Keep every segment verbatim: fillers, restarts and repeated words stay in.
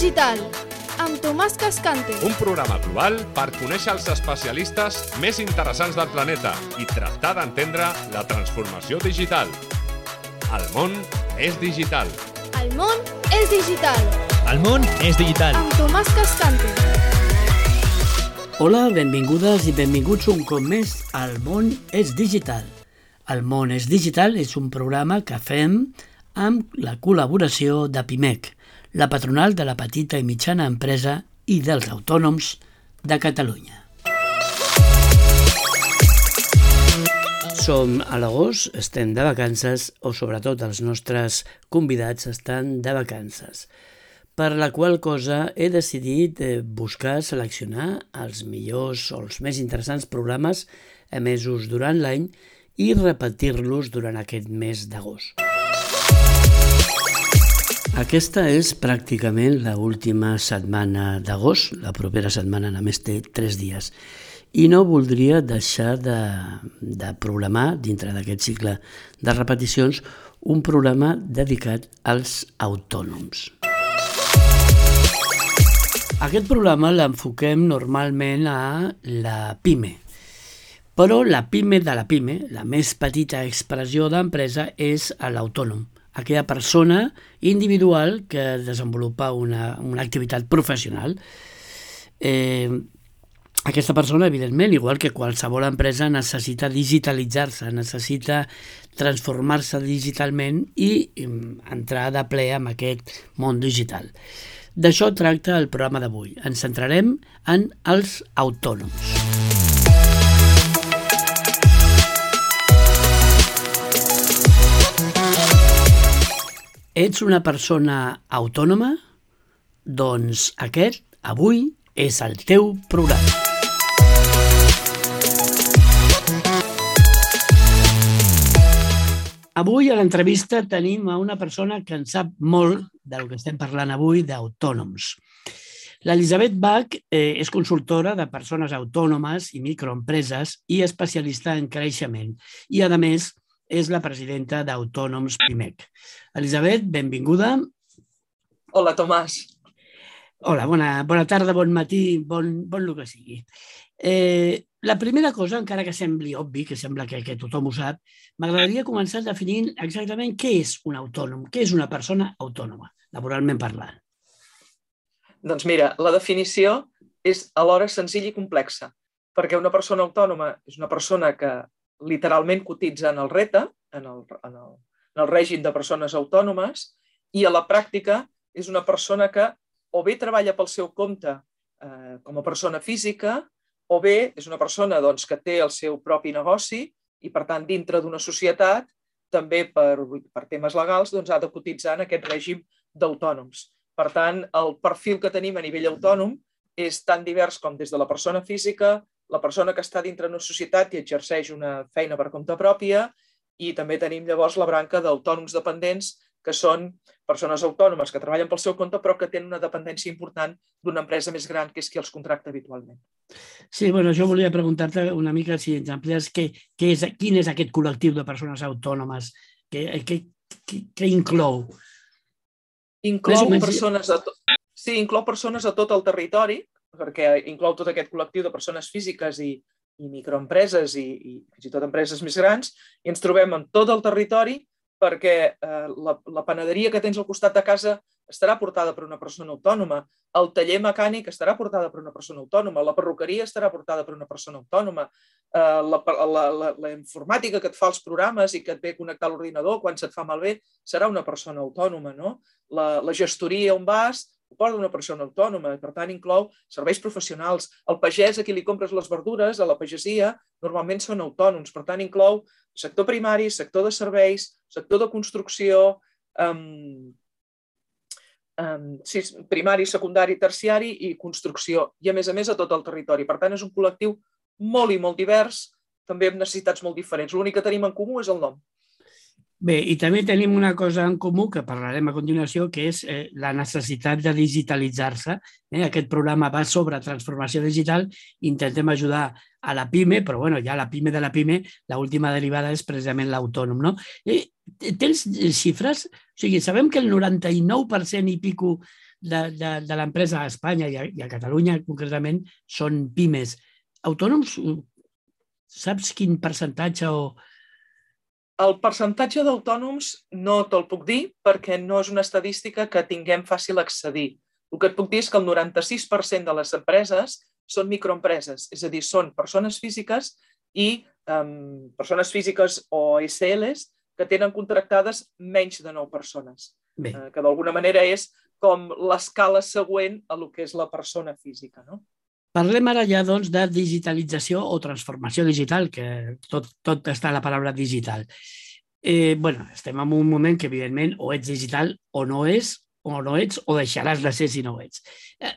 digital, amb Tomàs Cascante. Un programa global per conèixer els especialistes més interessants del planeta i tractar d'entendre la transformació digital. El món és digital. El món és digital. El món és digital. Amb Tomàs Cascante. Hola, benvingudes i benvinguts un cop més al món és digital. El món és digital és un programa que fem amb la col·laboració de Pimec, la patronal de la petita i mitjana empresa i dels autònoms de Catalunya. Som a l'agost, estem de vacances, o sobretot els nostres convidats estan de vacances, per la qual cosa he decidit buscar, seleccionar els millors o els més interessants programes emesos durant l'any i repetir-los durant aquest mes d'agost. Aquesta és pràcticament l'última setmana d'agost, la propera setmana només té tres dies, i no voldria deixar de, de programar, dintre d'aquest cicle de repeticions, un programa dedicat als autònoms. Aquest programa l'enfoquem normalment a la PIME, però la PIME de la PIME, la més petita expressió d'empresa, és l'autònom, aquella persona individual que desenvolupa una, una activitat professional. Eh, aquesta persona, evidentment, igual que qualsevol empresa, necessita digitalitzar-se, necessita transformar-se digitalment i entrar de ple en aquest món digital. D'això tracta el programa d'avui. Ens centrarem en els autònoms. Ets una persona autònoma? Doncs aquest, avui, és el teu programa. Avui a l'entrevista tenim a una persona que en sap molt del que estem parlant avui, d'autònoms. L'Elisabet Bach eh, és consultora de persones autònomes i microempreses i especialista en creixement. I, a més, és la presidenta d'Autònoms Pimec. Elisabet, benvinguda. Hola, Tomàs. Hola, bona, bona tarda, bon matí, bon, bon el que sigui. Eh, la primera cosa, encara que sembli obvi, que sembla que, que tothom ho sap, m'agradaria començar definint exactament què és un autònom, què és una persona autònoma, laboralment parlant. Doncs mira, la definició és alhora senzilla i complexa, perquè una persona autònoma és una persona que literalment cotitza en el R E T A, en el, en, el, en el règim de persones autònomes, i a la pràctica és una persona que o bé treballa pel seu compte eh, com a persona física, o bé és una persona doncs, que té el seu propi negoci i, per tant, dintre d'una societat, també per, per temes legals, doncs, ha de cotitzar en aquest règim d'autònoms. Per tant, el perfil que tenim a nivell autònom és tan divers com des de la persona física, la persona que està dintre d'una societat i exerceix una feina per compte pròpia, i també tenim llavors la branca d'autònoms dependents, que són persones autònomes que treballen pel seu compte però que tenen una dependència important d'una empresa més gran, que és qui els contracta habitualment. Sí, bueno, jo volia preguntar-te una mica si ens amplies què, què és, quin és aquest col·lectiu de persones autònomes, què, què, què, què inclou? Inclou persones, a to... sí, inclou persones a tot el territori, perquè inclou tot aquest col·lectiu de persones físiques i, i microempreses i, i fins i tot empreses més grans, i ens trobem en tot el territori perquè eh, la, la panaderia que tens al costat de casa estarà portada per una persona autònoma, el taller mecànic estarà portada per una persona autònoma, la perruqueria estarà portada per una persona autònoma, eh, la, la, la, la informàtica que et fa els programes i que et ve a connectar a l'ordinador quan se't fa malbé serà una persona autònoma, no? La, la gestoria on vas ho porta una persona autònoma, i per tant inclou serveis professionals. El pagès a qui li compres les verdures, a la pagesia, normalment són autònoms, per tant inclou sector primari, sector de serveis, sector de construcció, um, um, sí, primari, secundari, terciari i construcció, i a més a més a tot el territori. Per tant és un col·lectiu molt i molt divers, també amb necessitats molt diferents. L'únic que tenim en comú és el nom. Bé, i també tenim una cosa en comú que parlarem a continuació, que és eh, la necessitat de digitalitzar-se. Eh? Aquest programa va sobre transformació digital. Intentem ajudar a la PIME, però bueno, ja la PIME de la PIME, l'última derivada és precisament l'autònom, no? I tens xifres? O sigui, sabem que el noranta-nou per cent i pico de, de, de l'empresa a Espanya i a, i a Catalunya concretament són pimes. Autònoms, saps quin percentatge o... El percentatge d'autònoms no te'l puc dir perquè no és una estadística que tinguem fàcil accedir. El que et puc dir és que el noranta-sis per cent de les empreses són microempreses, és a dir, són persones físiques i um, persones físiques o S Ls que tenen contractades menys de nou persones, uh, que d'alguna manera és com l'escala següent a lo que és la persona física, no? Parlem ara ja doncs, de digitalització o transformació digital, que tot, tot està a la paraula digital. Eh, bueno, estem en un moment que, evidentment, o ets digital o no és, o no ets, o deixaràs de ser si no ho ets. Eh,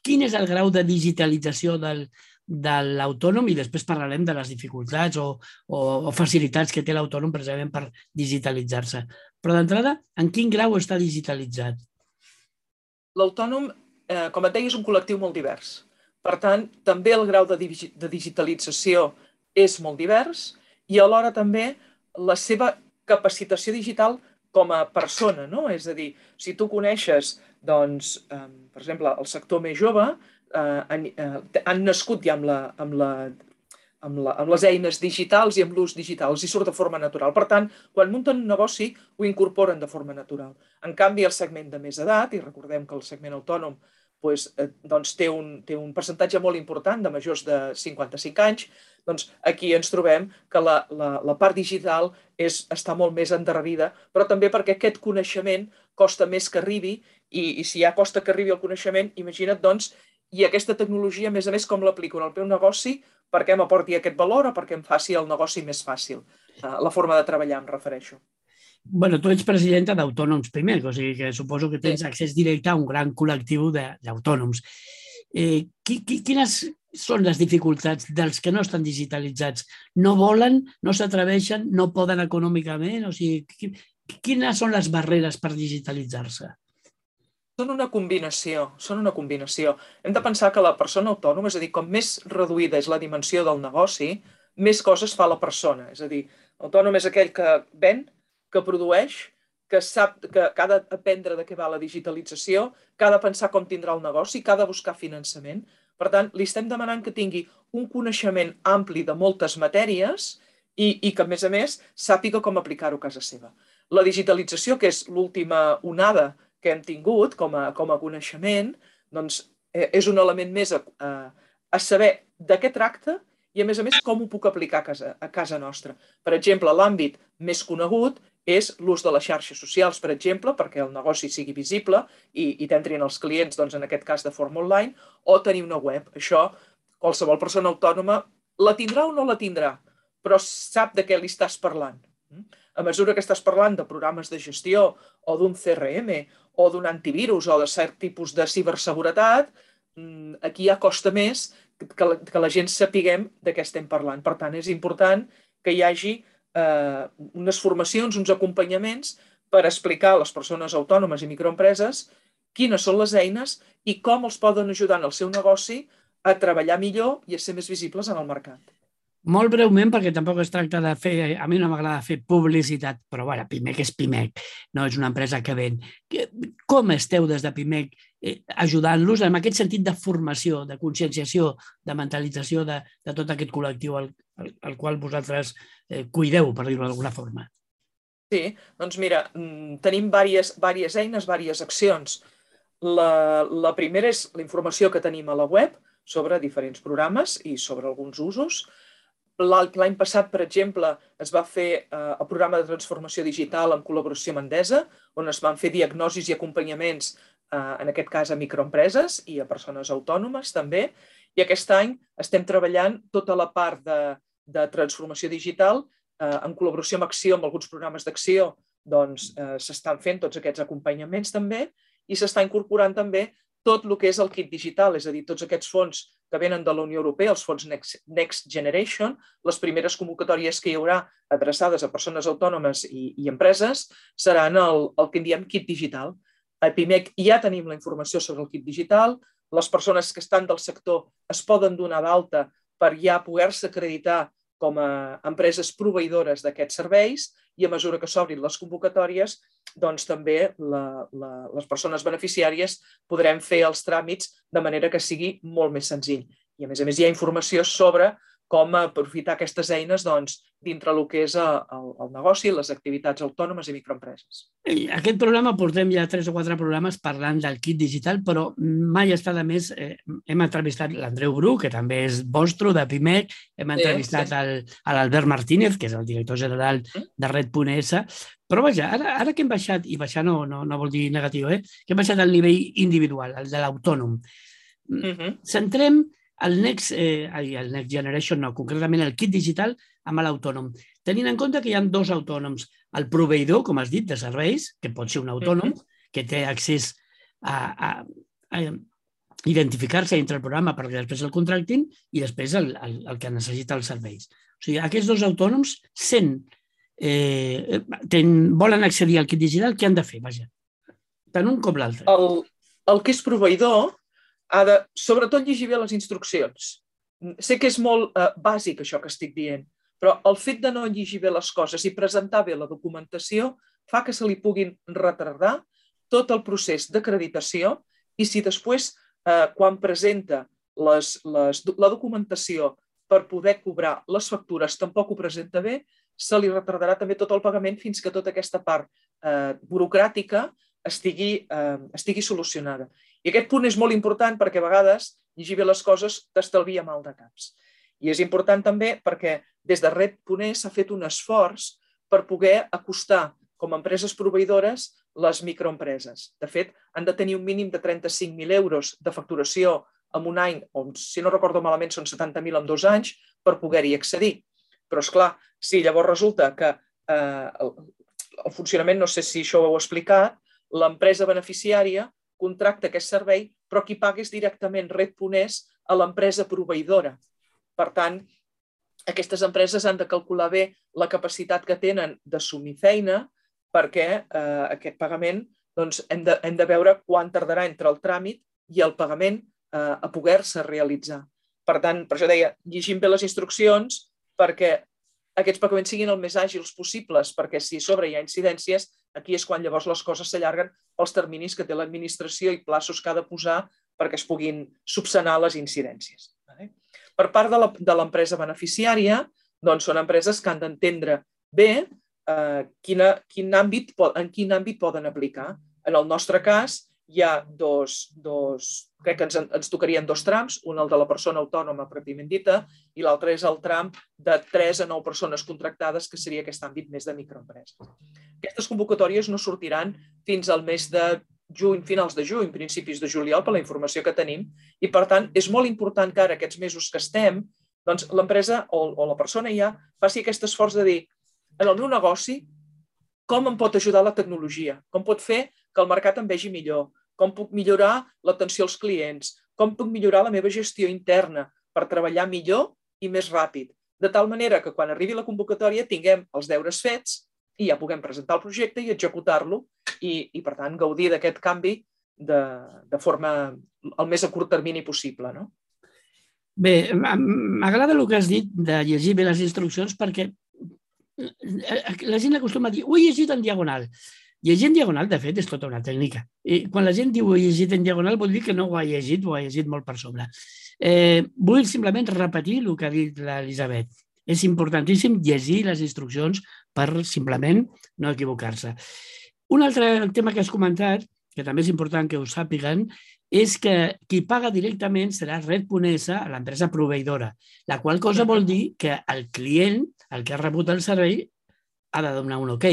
quin és el grau de digitalització del, de l'autònom? I després parlarem de les dificultats o, o, o facilitats que té l'autònom precisament per digitalitzar-se. Però d'entrada, en quin grau està digitalitzat? L'autònom, eh, com et deia, és un col·lectiu molt divers. Per tant, també el grau de, digi de digitalització és molt divers i alhora també la seva capacitació digital com a persona, no? És a dir, si tu coneixes, doncs, eh, per exemple, el sector més jove, eh, han, eh, han nascut ja amb, la, amb, la, amb, la, amb les eines digitals i amb l'ús digital, els hi surt de forma natural. Per tant, quan munten un negoci, ho incorporen de forma natural. En canvi, el segment de més edat, i recordem que el segment autònom doncs, eh, doncs té, un, té un percentatge molt important de majors de cinquanta-cinc anys, doncs aquí ens trobem que la, la, la part digital és, està molt més endarrerida, però també perquè aquest coneixement costa més que arribi i, i si ja costa que arribi el coneixement, imagina't, doncs, i aquesta tecnologia, a més a més, com l'aplico en el meu negoci, perquè m'aporti aquest valor o perquè em faci el negoci més fàcil. La forma de treballar, em refereixo. Bueno, tu ets presidenta d'Autònoms Pimec, o sigui que suposo que tens accés directe a un gran col·lectiu d'autònoms. Eh, quines són les dificultats dels que no estan digitalitzats? No volen, no s'atreveixen, no poden econòmicament? O sigui, quines són les barreres per digitalitzar-se? Són una combinació, són una combinació. Hem de pensar que la persona autònoma, és a dir, com més reduïda és la dimensió del negoci, més coses fa la persona. És a dir, l'autònom és aquell que ven, que produeix, que sap que, que ha d'aprendre de què va la digitalització, que ha de pensar com tindrà el negoci, que ha de buscar finançament. Per tant, li estem demanant que tingui un coneixement ampli de moltes matèries i, i que, a més a més, sàpiga com aplicar-ho a casa seva. La digitalització, que és l'última onada que hem tingut com a, com a coneixement, doncs, és un element més a, a, a saber de què tracta i, a més a més, com ho puc aplicar a casa, a casa nostra. Per exemple, l'àmbit més conegut és l'ús de les xarxes socials, per exemple, perquè el negoci sigui visible i, i t'entrin els clients, doncs, en aquest cas de forma online, o tenir una web. Això, qualsevol persona autònoma la tindrà o no la tindrà, però sap de què li estàs parlant. A mesura que estàs parlant de programes de gestió o d'un C R M o d'un antivirus o de cert tipus de ciberseguretat, aquí ja costa més que la, que la gent sapiguem de què estem parlant. Per tant, és important que hi hagi eh, unes formacions, uns acompanyaments per explicar a les persones autònomes i microempreses quines són les eines i com els poden ajudar en el seu negoci a treballar millor i a ser més visibles en el mercat. Molt breument, perquè tampoc es tracta de fer... A mi no m'agrada fer publicitat, però bueno, Pimec és Pimec, no és una empresa que ven. Com esteu des de Pimec ajudant-los en aquest sentit de formació, de conscienciació, de mentalització de, de tot aquest col·lectiu al, al, al qual vosaltres eh, cuideu, per dir-ho d'alguna forma? Sí, doncs mira, tenim diverses, diverses eines, diverses accions. La, la primera és la informació que tenim a la web sobre diferents programes i sobre alguns usos. L'any passat, per exemple, es va fer eh, el programa de transformació digital en col·laboració amb Endesa, on es van fer diagnosis i acompanyaments, eh, en aquest cas a microempreses i a persones autònomes també, i aquest any estem treballant tota la part de, de transformació digital eh, en col·laboració amb Acció, amb alguns programes d'Acció, doncs eh, s'estan fent tots aquests acompanyaments també i s'està incorporant també tot el que és el kit digital, és a dir, tots aquests fons que venen de la Unió Europea, els fons Next, Next Generation, les primeres convocatòries que hi haurà adreçades a persones autònomes i, i empreses seran el, el que en diem kit digital. A Pimec ja tenim la informació sobre el kit digital, les persones que estan del sector es poden donar d'alta per ja poder-se acreditar com a empreses proveïdores d'aquests serveis i a mesura que s'obrin les convocatòries, doncs també la, la, les persones beneficiàries podrem fer els tràmits de manera que sigui molt més senzill. I a més a més hi ha informació sobre com aprofitar aquestes eines doncs, dintre el que és el, el negoci, les activitats autònomes i microempreses. Aquest programa portem ja tres o quatre programes parlant del kit digital, però mai està de més. Eh, hem entrevistat l'Andreu Bru, que també és vostre, de Pimec, hem entrevistat sí, sí. El, l'Albert Martínez, que és el director general de Red.es, però vaja, ara, ara que hem baixat, i baixar no, no, no vol dir negatiu, eh? que hem baixat al nivell individual, el de l'autònom. Uh-huh. Centrem el Next, eh, el Next Generation, no, concretament el kit digital amb l'autònom. Tenint en compte que hi ha dos autònoms, el proveïdor, com has dit, de serveis, que pot ser un autònom, uh-huh. que té accés a, a, a identificar-se dintre el programa perquè després el contractin i després el, el, el que necessita els serveis. O sigui, aquests dos autònoms, sent, eh, ten, volen accedir al kit digital, què han de fer? Vaja, tant un com l'altre. El, el que és proveïdor ha de, sobretot, llegir bé les instruccions. Sé que és molt eh, bàsic això que estic dient, però el fet de no llegir bé les coses i presentar bé la documentació fa que se li puguin retardar tot el procés d'acreditació i si després, eh, quan presenta les, les, la documentació per poder cobrar les factures tampoc ho presenta bé, se li retardarà també tot el pagament fins que tota aquesta part eh, burocràtica estigui, eh, estigui solucionada. I aquest punt és molt important perquè a vegades llegir bé les coses t'estalvia mal de caps. I és important també perquè des de Red.es s'ha fet un esforç per poder acostar com a empreses proveïdores les microempreses. De fet, han de tenir un mínim de trenta-cinc mil euros de facturació en un any, o si no recordo malament són setanta mil en dos anys, per poder-hi accedir. Però, esclar, si llavors resulta que eh, el, el funcionament, no sé si això ho heu explicat, l'empresa beneficiària contracta aquest servei, però qui paga és directament Red.es a l'empresa proveïdora. Per tant, aquestes empreses han de calcular bé la capacitat que tenen d'assumir feina perquè eh, aquest pagament doncs, hem, de, hem de veure quan tardarà entre el tràmit i el pagament eh, a poder-se realitzar. Per tant, per això deia, llegim bé les instruccions perquè aquests pagaments siguin el més àgils possibles, perquè si a sobre hi ha incidències, aquí és quan llavors les coses s'allarguen pels terminis que té l'administració i plaços que ha de posar perquè es puguin subsanar les incidències. Per part de l'empresa beneficiària, doncs són empreses que han d'entendre bé eh, quina, quin àmbit, en quin àmbit poden aplicar. En el nostre cas, hi ha dos, dos crec que ens, ens tocarien dos trams, un el de la persona autònoma pròpiament dita i l'altre és el tram de tres a nou persones contractades, que seria aquest àmbit més de microempreses. Aquestes convocatòries no sortiran fins al mes de juny, finals de juny, principis de juliol, per la informació que tenim, i per tant és molt important que ara, aquests mesos que estem, doncs l'empresa o, o la persona ja faci aquest esforç de dir, en el meu negoci, com em pot ajudar la tecnologia? Com pot fer que el mercat em vegi millor? Com puc millorar l'atenció als clients? Com puc millorar la meva gestió interna per treballar millor i més ràpid? De tal manera que quan arribi la convocatòria tinguem els deures fets i ja puguem presentar el projecte i executar-lo i, i per tant, gaudir d'aquest canvi de, de forma el més a curt termini possible. No? Bé, m'agrada el que has dit de llegir bé les instruccions perquè la gent acostuma a dir ho he llegit en diagonal. Llegir en diagonal, de fet, és tota una tècnica. I quan la gent diu ho he llegit en diagonal vol dir que no ho ha llegit, ho ha llegit molt per sobre. Eh, vull simplement repetir el que ha dit l'Elisabet. És importantíssim llegir les instruccions per simplement no equivocar-se. Un altre tema que has comentat, que també és important que ho sàpiguen, és que qui paga directament serà Red.es, l'empresa proveïdora, la qual cosa vol dir que el client, el que ha rebut el servei, ha de donar un ok,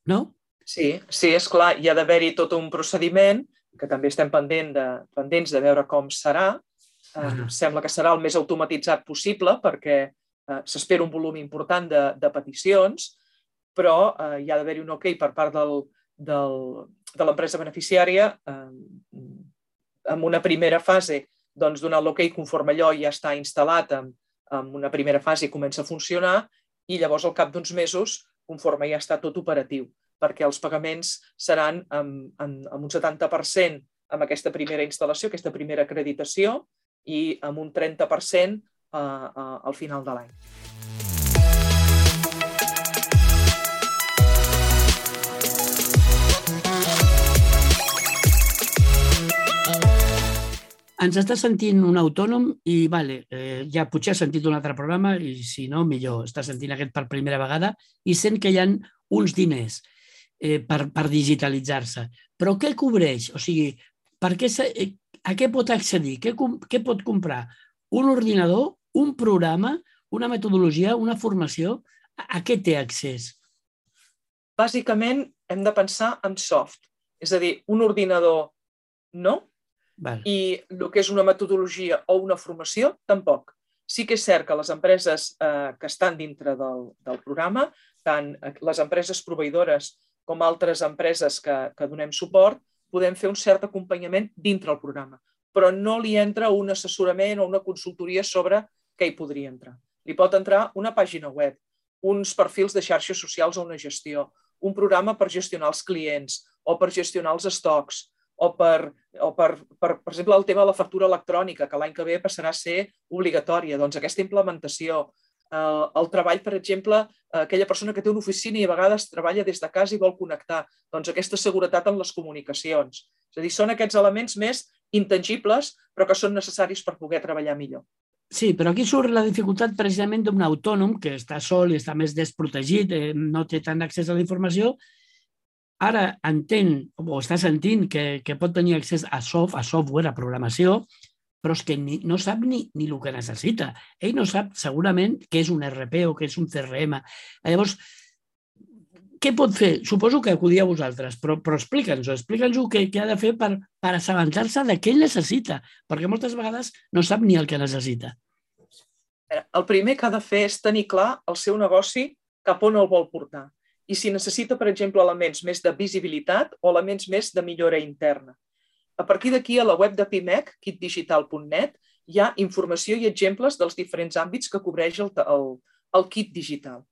no? Sí, sí, és clar, hi ha d'haver-hi tot un procediment, que també estem pendent de, pendents de veure com serà. Uh, sembla que serà el més automatitzat possible perquè uh, s'espera un volum important de, de peticions, però uh, hi ha d'haver-hi un ok per part del, del, de l'empresa beneficiària uh, en una primera fase, doncs donar l'ok conforme allò ja està instal·lat en, en una primera fase i comença a funcionar i llavors al cap d'uns mesos, conforme ja està tot operatiu, perquè els pagaments seran amb, amb, amb un setanta per cent amb aquesta primera instal·lació, aquesta primera acreditació, i amb un trenta per cent al final de l'any. Ens està sentint un autònom i vale, eh, ja potser ha sentit un altre programa i si no, millor, està sentint aquest per primera vegada i sent que hi ha uns diners eh, per, per digitalitzar-se. Però què cobreix? O sigui, per què se, eh, a què pot accedir? Què, què pot comprar? Un ordinador, un programa, una metodologia, una formació? A, a què té accés? Bàsicament hem de pensar en soft, és a dir, un ordinador no, Val. I el que és una metodologia o una formació, tampoc. Sí que és cert que les empreses eh, que estan dintre del, del programa, tant les empreses proveïdores com altres empreses que, que donem suport, podem fer un cert acompanyament dintre el programa, però no li entra un assessorament o una consultoria sobre què hi podria entrar. Li pot entrar una pàgina web, uns perfils de xarxes socials o una gestió, un programa per gestionar els clients o per gestionar els estocs, o, per, o per, per, per exemple, el tema de la factura electrònica, que l'any que ve passarà a ser obligatòria. Doncs aquesta implementació, eh, el treball, per exemple, aquella persona que té una oficina i a vegades treballa des de casa i vol connectar, doncs aquesta seguretat en les comunicacions. És a dir, són aquests elements més intangibles, però que són necessaris per poder treballar millor. Sí, però aquí surt la dificultat precisament d'un autònom que està sol i està més desprotegit, eh, no té tant accés a la informació. Ara entén o està sentint que, que pot tenir accés a, soft, a software, a programació, però és que ni, no sap ni, ni el que necessita. Ell no sap segurament què és un R P o què és un C R M. Llavors, què pot fer? Suposo que acudir a vosaltres, però, però explica'ns-ho, explica'ns-ho què, què ha de fer per, per assabentar-se de què ell necessita, perquè moltes vegades no sap ni el que necessita. El primer que ha de fer és tenir clar el seu negoci cap on el vol portar. I si necessita, per exemple, elements més de visibilitat o elements més de millora interna. A partir d'aquí, a la web de Pimec, kit digital punt net, hi ha informació i exemples dels diferents àmbits que cobreix el, el, el kit digital.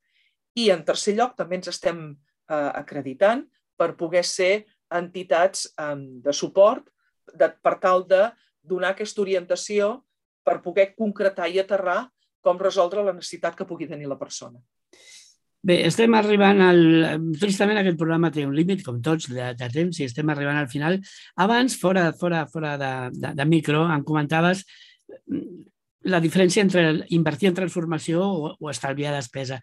I, en tercer lloc, també ens estem eh, acreditant per poder ser entitats eh, de suport de, per tal de donar aquesta orientació per poder concretar i aterrar com resoldre la necessitat que pugui tenir la persona. Bé, estem arribant al... Tristament aquest programa té un límit, com tots, de, de temps, i estem arribant al final. Abans, fora, fora, fora de, de, de micro, em comentaves la diferència entre invertir en transformació o, o estalviar despesa.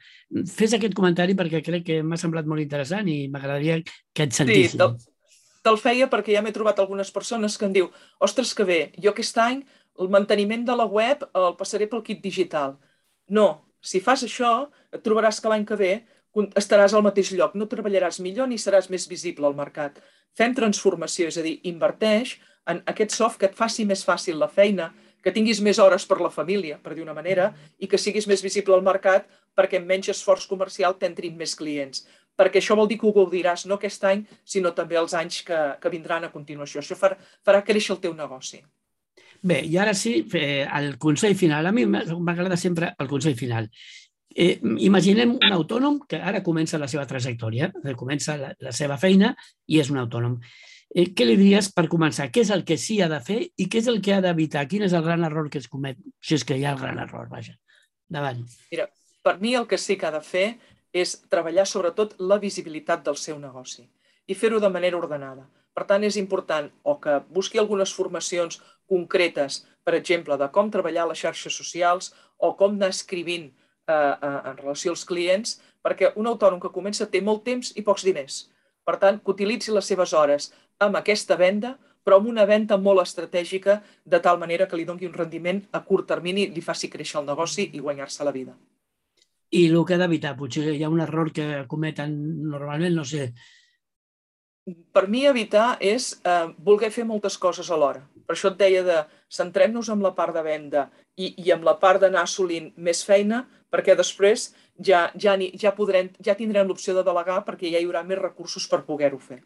Fes aquest comentari perquè crec que m'ha semblat molt interessant i m'agradaria que et sentissin. Sí, te'l, te'l feia perquè ja m'he trobat algunes persones que em diu ostres, que bé, jo aquest any el manteniment de la web el passaré pel kit digital. No. Si fas això, et trobaràs que l'any que ve estaràs al mateix lloc, no treballaràs millor ni seràs més visible al mercat. Fem transformació, és a dir, inverteix en aquest soft que et faci més fàcil la feina, que tinguis més hores per la família, per dir una manera, i que siguis més visible al mercat perquè amb menys esforç comercial t'entrin més clients. Perquè això vol dir que ho gaudiràs no aquest any, sinó també els anys que, que vindran a continuació. Això farà, farà créixer el teu negoci. Bé, i ara sí, el consell final. A mi m'agrada sempre el consell final. Eh, imaginem un autònom que ara comença la seva trajectòria, comença la, la seva feina i és un autònom. Eh, què li diries per començar? Què és el que sí ha de fer i què és el que ha d'evitar? Quin és el gran error que es comet? Si és que hi ha el gran error, vaja. Davant. Mira, per mi el que sí que ha de fer és treballar sobretot la visibilitat del seu negoci i fer-ho de manera ordenada. Per tant, és important o que busqui algunes formacions concretes, per exemple, de com treballar a les xarxes socials o com anar escrivint eh, en relació als clients, perquè un autònom que comença té molt temps i pocs diners. Per tant, que utilitzi les seves hores amb aquesta venda, però amb una venda molt estratègica, de tal manera que li doni un rendiment a curt termini, li faci créixer el negoci i guanyar-se la vida. I el que ha d'evitar? Potser hi ha un error que cometen normalment, no sé. Per mi evitar és eh, voler fer moltes coses alhora. Per això et deia de centrem-nos en la part de venda i, i en la part d'anar assolint més feina, perquè després ja, ja, ja, podrem, ja tindrem l'opció de delegar perquè ja hi haurà més recursos per poder-ho fer.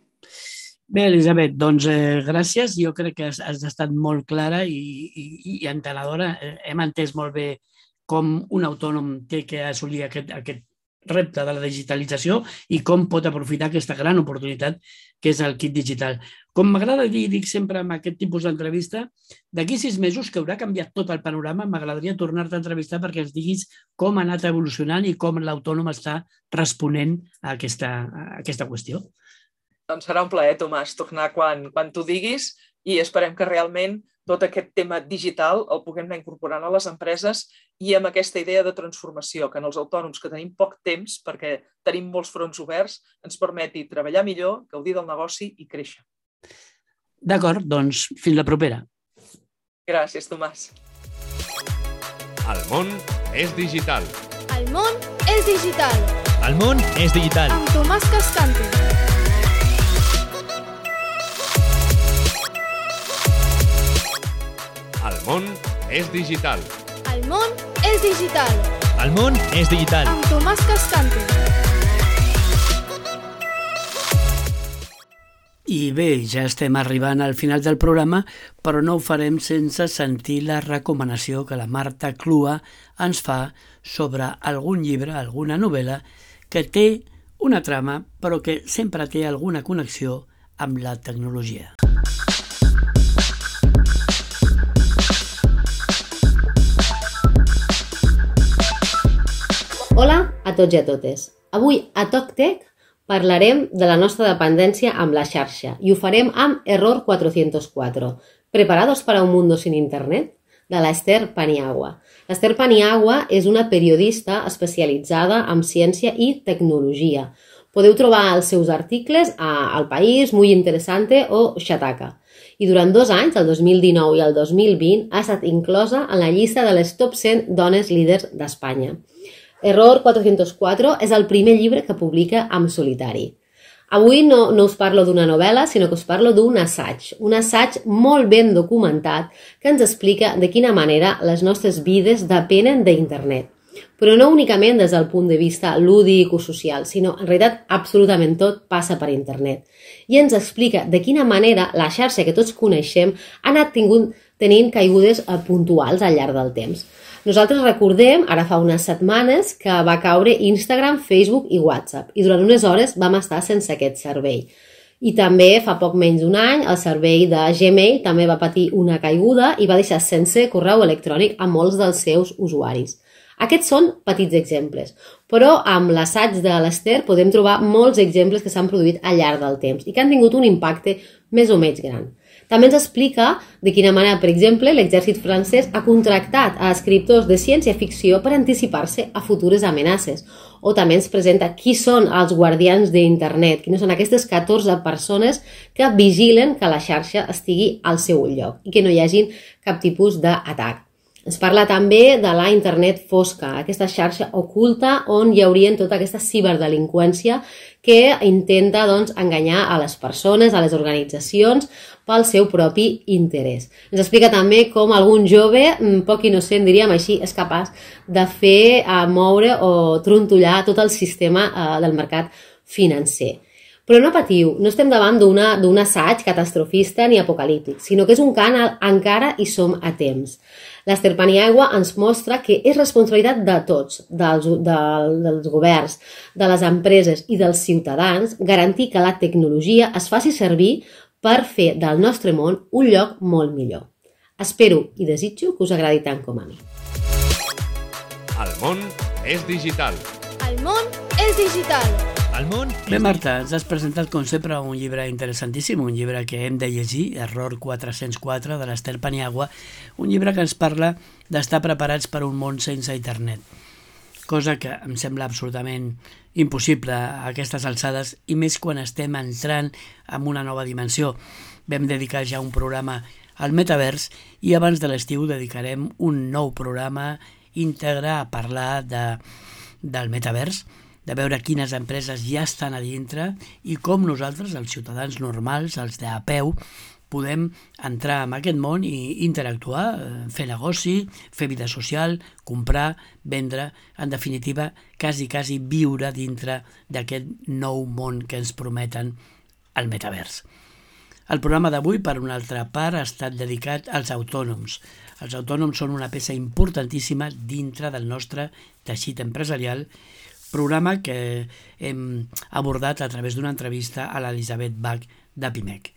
Bé, Elisabet, doncs eh, gràcies. Jo crec que has, has estat molt clara i, i, i entenedora. Hem entès molt bé com un autònom té que assolir aquest, aquest repte de la digitalització i com pot aprofitar aquesta gran oportunitat que és el kit digital. Com m'agrada dir, dic sempre amb aquest tipus d'entrevista, d'aquí sis mesos que haurà canviat tot el panorama, m'agradaria tornar-te a entrevistar perquè ens diguis com ha anat evolucionant i com l'autònom està responent a aquesta, a aquesta qüestió. Doncs serà un plaer, Tomàs, tornar quan, quan tu diguis i esperem que realment tot aquest tema digital el puguem anar incorporant a les empreses i amb aquesta idea de transformació, que en els autònoms que tenim poc temps, perquè tenim molts fronts oberts, ens permeti treballar millor, gaudir del negoci i créixer. D'acord, doncs fins la propera. Gràcies, Tomàs. El món és digital. El món és digital. El món és digital. Amb Tomàs Cascante. El món és digital. El món és digital. El món és digital. Amb Tomàs Cascante. I bé, ja estem arribant al final del programa, però no ho farem sense sentir la recomanació que la Marta Clua ens fa sobre algun llibre, alguna novel·la, que té una trama, però que sempre té alguna connexió amb la tecnologia. Hola a tots i a totes. Avui a TalkTech parlarem de la nostra dependència amb la xarxa i ho farem amb Error cuatrocientos cuatro. ¿Preparados para un mundo sin internet? De l'Esther Paniagua. L'Esther Paniagua és una periodista especialitzada en ciència i tecnologia. Podeu trobar els seus articles a El País, Muy Interesante o Shataka. I durant dos anys, el dos mil dinou i el dos mil vint, ha estat inclosa en la llista de les top cent dones líders d'Espanya. Error cuatrocientos cuatro és el primer llibre que publica en solitari. Avui no, no us parlo d'una novel·la, sinó que us parlo d'un assaig, un assaig molt ben documentat que ens explica de quina manera les nostres vides depenen d'internet. Però no únicament des del punt de vista lúdic o social, sinó en realitat absolutament tot passa per internet. I ens explica de quina manera la xarxa que tots coneixem ha anat tingut, tenint caigudes puntuals al llarg del temps. Nosaltres recordem, ara fa unes setmanes, que va caure Instagram, Facebook i WhatsApp i durant unes hores vam estar sense aquest servei. I també fa poc menys d'un any el servei de Gmail també va patir una caiguda i va deixar sense correu electrònic a molts dels seus usuaris. Aquests són petits exemples, però amb l'assaig de l'Esther podem trobar molts exemples que s'han produït al llarg del temps i que han tingut un impacte més o menys gran. També ens explica de quina manera, per exemple, l'exèrcit francès ha contractat a escriptors de ciència-ficció per anticipar-se a futures amenaces. O també ens presenta qui són els guardians d'internet, quines són aquestes catorze persones que vigilen que la xarxa estigui al seu lloc i que no hi hagi cap tipus d'atac. Ens parla també de la internet fosca, aquesta xarxa oculta on hi haurien tota aquesta ciberdelinqüència que intenta doncs, enganyar a les persones, a les organitzacions, pel seu propi interès. Ens explica també com algun jove, poc innocent diríem així, és capaç de fer moure o trontollar tot el sistema del mercat financer. Però no patiu, no estem davant d'un assaig catastrofista ni apocalíptic, sinó que és un canal encara hi som a temps. L'Esther Paniagua ens mostra que és responsabilitat de tots, dels, del, dels governs, de les empreses i dels ciutadans, garantir que la tecnologia es faci servir per fer del nostre món un lloc molt millor. Espero i desitjo que us agradi tant com a mi. El món és digital. El món és digital. El món Bé, Marta, ens has presentat com sempre un llibre interessantíssim, un llibre que hem de llegir, Error quatre-cents quatre, de l'Esther Paniagua, un llibre que ens parla d'estar preparats per un món sense internet, cosa que em sembla absolutament impossible a aquestes alçades i més quan estem entrant en una nova dimensió. Vam dedicar ja un programa al metavers i abans de l'estiu dedicarem un nou programa íntegre a parlar de, del metavers, de veure quines empreses ja estan a dintre i com nosaltres, els ciutadans normals, els de a peu, podem entrar en aquest món i interactuar, fer negoci, fer vida social, comprar, vendre, en definitiva, quasi, quasi viure dintre d'aquest nou món que ens prometen el metavers. El programa d'avui, per una altra part, ha estat dedicat als autònoms. Els autònoms són una peça importantíssima dintre del nostre teixit empresarial, programa que hem abordat a través d'una entrevista a l'Elisabet Bach de Pimec.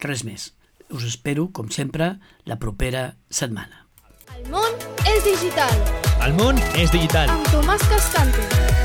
Res més. Us espero, com sempre, la propera setmana. El món és digital. El món és digital. Amb Tomàs Cascante.